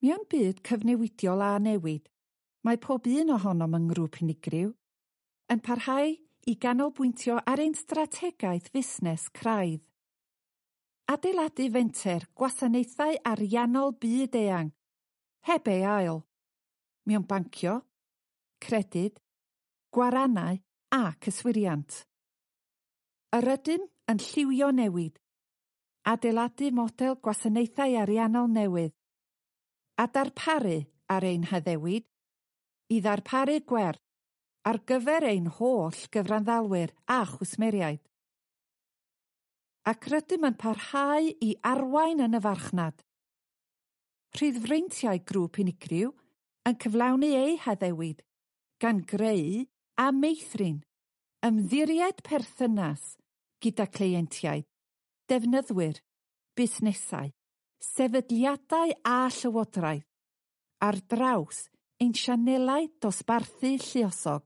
Mewn byd cyfnewidiol a newid, mae pob un ohonom yng ngrŵp unigryw yn parhau i ganolbwyntio ar ein strategaeth fusnes craidd. Adeiladu fenter gwasanaethau ariannol byd-eang, heb ei ail, mewn bancio, credyd, gwarannau ac yswiriant. Yr ydym yn lliwio newid, adeiladu model gwasanaethau ariannol newydd, a darparu ar ein haddewid i ddarparu gwerth ar gyfer ein holl gyfranddalwyr a chwsmeriaid. Ac rydym yn parhau i arwain yn y farchnad. Rhyddfreintiau grŵp unigryw yn cyflawni eu haddewid, gan greu a meithrin ymddiried perthynas gyda cleientiaid, defnyddwyr, busnesau, sefydliadau a llywodraeth ar draws ein sianelau dosbarthu lluosog.